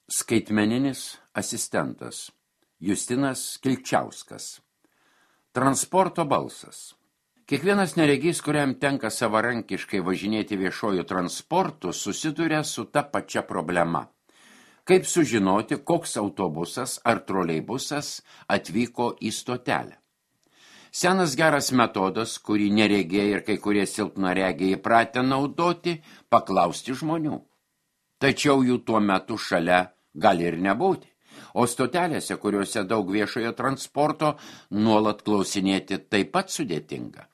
Skaitmeninis asistentas Justinas Kilčiauskas. Transporto balsas. Kiekvienas neregys, kuriam tenka savarankiškai važinėti viešuoju transportu, susiduria su ta pačia problema. Kaip sužinoti, koks autobusas ar troleibusas atvyko į stotelę? Senas geras metodas, kurį neregiai ir kai kurie silpnaregiai įpratę naudoti, paklausti žmonių. Tačiau jų tuo metu šalia gali ir nebūti, o stotelėse, kuriuose daug viešojo transporto, nuolat klausinėti taip pat sudėtinga.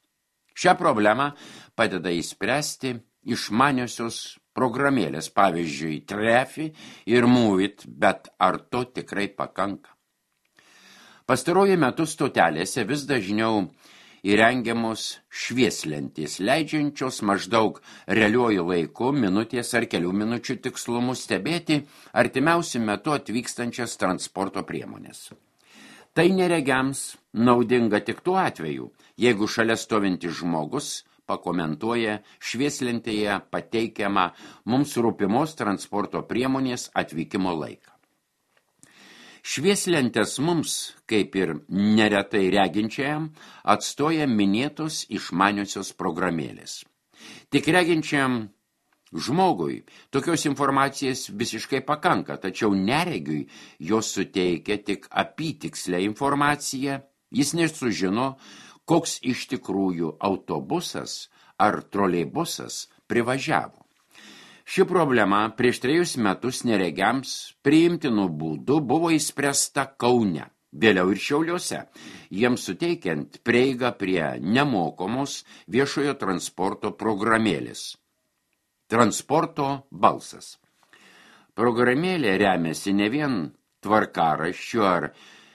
Šią problemą padeda įspręsti išmaniosios programėlės, pavyzdžiui, Trefi ir Moveit, bet ar to tikrai pakanka? Pastaruoju metu stotelėse vis dažniau įrengiamos švieslentės, leidžiančios maždaug realiuoju laiku, minutės ar kelių minučių tikslumu stebėti artimiausiu metu atvykstančias transporto priemonės. Tai neregiams naudinga tik tuo atveju, jeigu šalia stovintis žmogus pakomentuoja švieslentėje pateikiamą mums rūpimos transporto priemonės atvykimo laiką. Švieslentės mums, kaip ir neretai reginčiajam, atstoja minėtos išmaniosios programėlės. Tik reginčiajam žmogui tokios informacijos visiškai pakanka, tačiau neregiui jos suteikia tik apytikslę informaciją, jis nesužino, koks iš tikrųjų autobusas ar troleibusas privažiavo. Ši problema prieš 3 metus neregiams priimtinų būdų buvo įspręsta Kaune, vėliau ir Šiauliuose, jiems suteikiant prieigą prie nemokamos viešojo transporto programėlės. Transporto balsas. Programėlė remiasi ne vien tvarkaraščių ar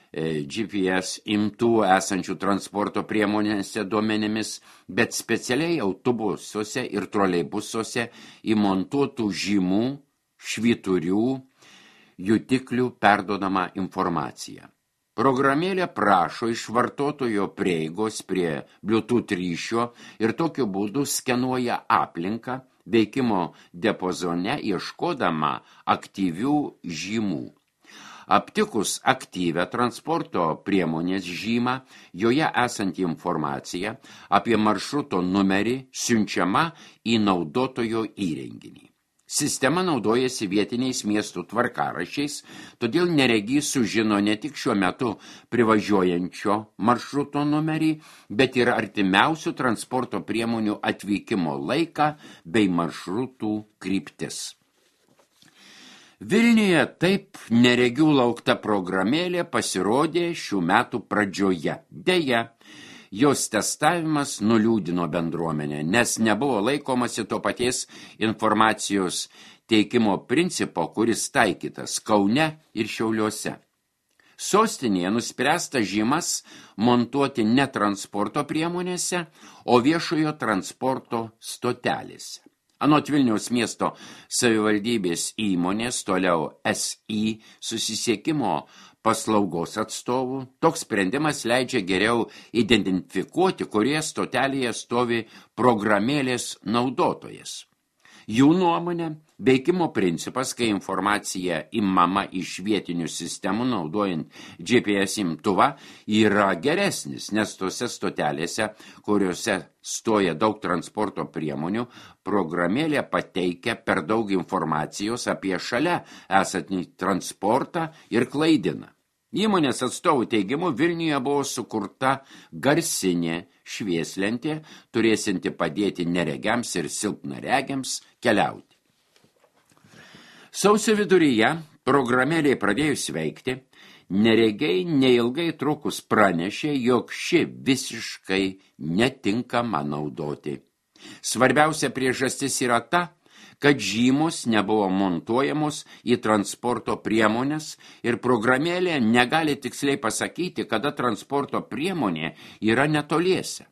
GPS imtuvų esančių transporto priemonėse duomenimis, bet specialiai autobusuose ir troleibusuose įmontuotų žymų, švyturių, jutiklių perduodama informacija. Programėlė prašo iš vartotojo prieigos prie Bluetooth ryšio ir tokiu būdu skenuoja aplinką veikimo diapazone ieškodama aktyvių žymų. Aptikus aktyvią transporto priemonės žymą, joje esanti informacija apie maršruto numerį siunčiama į naudotojo įrenginį. Sistema naudojasi vietiniais miestų tvarkaraščiais, todėl neregys sužino ne tik šiuo metu privažiuojančio maršruto numerį, bet ir artimiausių transporto priemonių atvykimo laiką bei maršrutų kryptis. Vilniuje taip neregių laukta programėlė pasirodė šių metų pradžioje. Deja, jos testavimas nuliūdino bendruomenę, nes nebuvo laikomasi to paties informacijos teikimo principo, kuris taikytas Kaune ir Šiauliuose. Sostinėje nuspręsta žymas montuoti ne transporto priemonėse, o viešojo transporto stotelėse. Anot Vilniaus miesto savivaldybės įmonės, toliau SI susisiekimo paslaugos atstovų, toks sprendimas leidžia geriau identifikuoti, kurie stotelėje stovi programėlės naudotojas. Jų nuomonė, veikimo principas, kai informacija imama iš vietinių sistemų naudojant GPS imtuvą, yra geresnis, nes tose stotelėse, kuriuose stoja daug transporto priemonių, programėlė pateikia per daug informacijos apie šalia esantį transportą ir klaidina. Įmonės atstovų teigimu Vilniuje buvo sukurta garsinė švieslentė, turėsinti padėti neregiams ir silpnaregiams keliauti. Sausio viduryje programėlė pradėjus veikti, neregiai neilgai trukus pranešė, jog ši visiškai netinkama naudoti. Svarbiausia priežastis yra ta, kad žymos nebuvo montuojamos į transporto priemonės ir programėlė negali tiksliai pasakyti, kada transporto priemonė yra netoliese.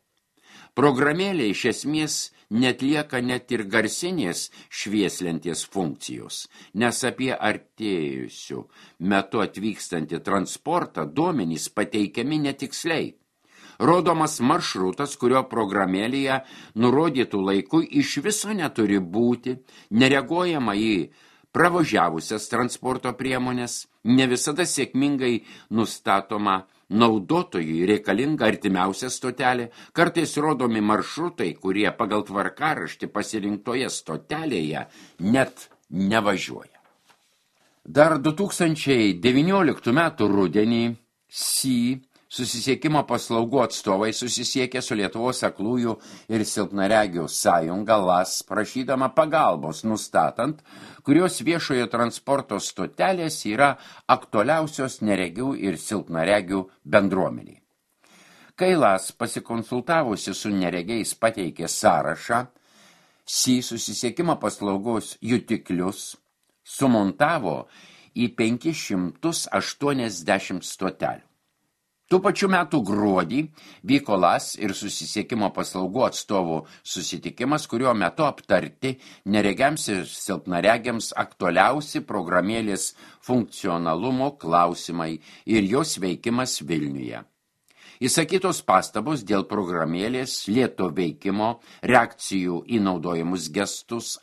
Programėlė iš esmės netlieka net ir garsinės švieslentės funkcijos, nes apie artėjusių metu atvykstantį transportą duomenys pateikiami netiksliai. Rodomas maršrutas, kurio programėlėje nurodytų laiku iš viso neturi būti, nereaguojama į pravažiavusias transporto priemonės, ne visada sėkmingai nustatoma naudotojui reikalinga artimiausia stotelė, kartais rodomi maršrutai, kurie pagal tvarkaraštį pasirinktoje stotelėje net nevažiuoja. Dar 2019 metų rudenį susisiekimo paslaugų atstovai susisiekė su Lietuvos aklųjų ir silpnaregių sąjunga LAS, prašydama pagalbos nustatant, kurios viešojo transporto stotelės yra aktualiausios neregių ir silpnaregių bendruomeniai. Kai LAS pasikonsultavusi su neregiais pateikė sąrašą, susisiekimo paslaugos jutiklius sumontavo į 580 stotelių. Tų pačių metų gruodį vyko LAS ir susisiekimo paslaugų atstovų susitikimas, kurio metu aptarti neregiams ir silpnaregiams aktualiausi programėlės funkcionalumo klausimai ir jos veikimas Vilniuje. Įsakytos pastabos dėl programėlės, lėto veikimo, reakcijų į naudojimus gestus,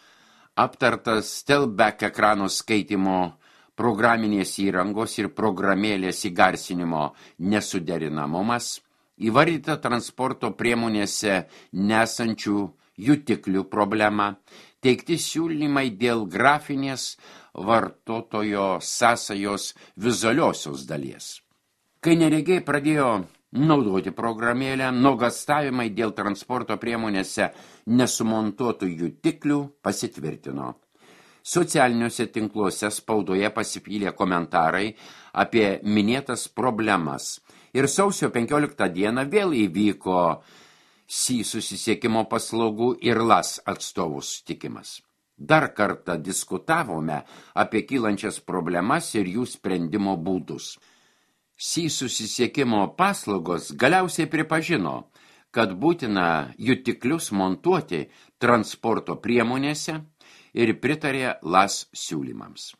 aptartas Telback ekrano skaitimo programinės įrangos ir programėlės įgarsinimo nesuderinamumas, įvardyta transporto priemonėse nesančių jutiklių problema, teikti siūlymai dėl grafinės vartotojo sąsajos vizualiosios dalies. Kai neregiai pradėjo naudoti programėlę, nuogąstavimai dėl transporto priemonėse nesumontuotų jutiklių pasitvirtino. Socialiniuose tinkluose spaudoje pasipylė komentarai apie minėtas problemas ir sausio 15 dieną vėl įvyko susisiekimo paslaugų ir LAS atstovų susitikimas. Dar kartą diskutavome apie kylančias problemas ir jų sprendimo būdus. Susisiekimo paslaugos galiausiai pripažino, kad būtina jutiklius montuoti transporto priemonėse ir pritarė LAS siūlymams.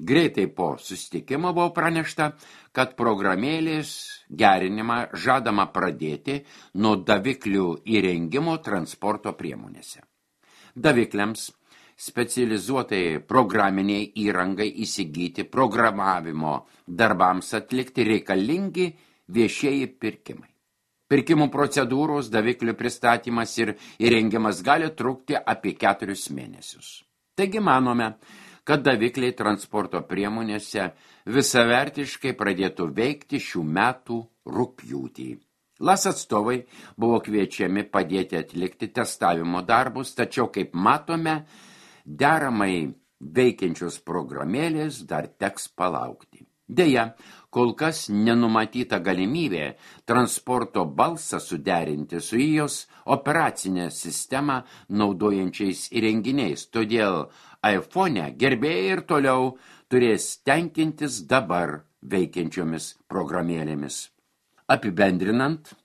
Greitai po susitikimo buvo pranešta, kad programėlės gerinimą žadama pradėti nuo daviklių įrengimo transporto priemonėse. Davikliams specializuotai programiniai įrangai įsigyti programavimo darbams atlikti reikalingi viešieji pirkimai. Pirkimų procedūros, daviklių pristatymas ir įrengimas gali trukti apie 4 mėnesius. Taigi manome, kad davikliai transporto priemonėse visavertiškai pradėtų veikti šių metų rugpjūtį. LAS atstovai buvo kviečiami padėti atlikti testavimo darbus, tačiau, kaip matome, deramai veikiančios programėlės dar teks palaukti. Deja, kol kas nenumatyta galimybė transporto balsą suderinti su jos operacinę sistemą naudojančiais įrenginiais, todėl iPhone gerbėjai ir toliau turės tenkintis dabar veikiančiomis programėlėmis. Apibendrinant,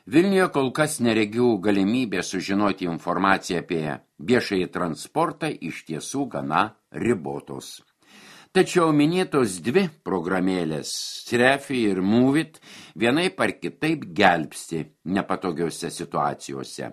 Vilniuje kol kas neregių galimybė sužinoti informaciją apie viešąjį transportą iš tiesų gana ribotos. Tačiau minėtos 2 programėlės, Trefi ir Moveit, vienaip ar kitaip gelbsti nepatogiose situacijose.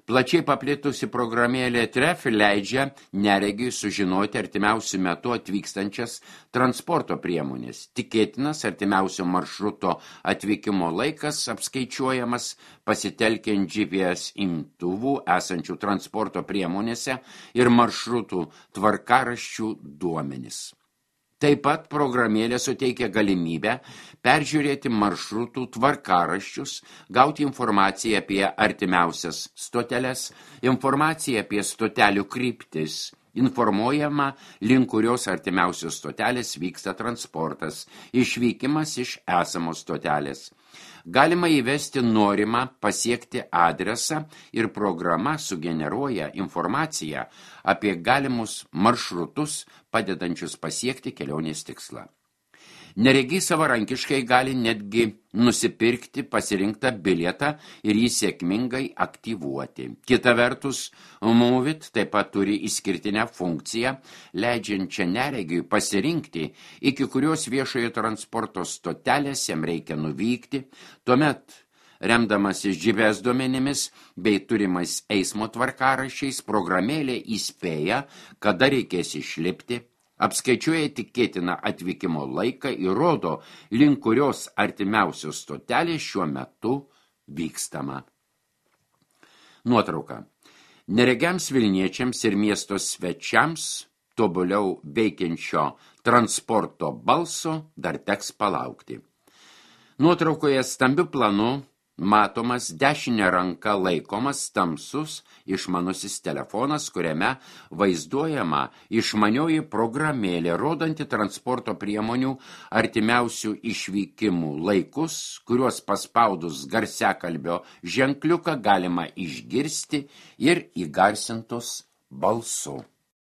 Plačiai paplitusi programėlė Trefi leidžia neregiui sužinoti artimiausių metų atvykstančias transporto priemonės. Tikėtinas artimiausio maršruto atvykimo laikas apskaičiuojamas pasitelkiant GPS imtuvų esančių transporto priemonėse ir maršrutų tvarkaraščių duomenis. Taip pat programėlė suteikia galimybę peržiūrėti maršrutų tvarkaraščius, gauti informaciją apie artimiausias stoteles, informaciją apie stotelių kryptis, informuojama, link kurios artimiausios stotelės vyksta transportas, išvykimas iš esamos stotelės. Galima įvesti norimą pasiekti adresą ir programa sugeneruoja informaciją apie galimus maršrutus, padedančius pasiekti kelionės tikslą. Neregiai savarankiškai gali netgi nusipirkti pasirinktą bilietą ir jį sėkmingai aktyvuoti. Kita vertus, Moveit taip pat turi išskirtinę funkciją, leidžiančią neregiui pasirinkti, iki kurios viešojo transporto stotelės jam reikia nuvykti, tuomet remdamasis GPS duomenimis bei turimais eismo tvarkaraščiais, programėlė įspėja, kada reikės išlipti, apskaičiuoja tikėtiną atvykimo laiką ir rodo, link kurios artimiausios stotelės šiuo metu vykstama. Nuotrauka. Neregiams Vilniečiams ir miesto svečiams tobuliau veikiančio transporto balso dar teks palaukti. Nuotraukoje stambiu planu matomas dešinė ranka laikomas tamsus išmanusis telefonas, kuriame vaizduojama išmanioji programėlė, rodanti transporto priemonių artimiausių išvykimų laikus, kuriuos paspaudus garsiakalbio ženkliuką galima išgirsti ir įgarsintus balsu.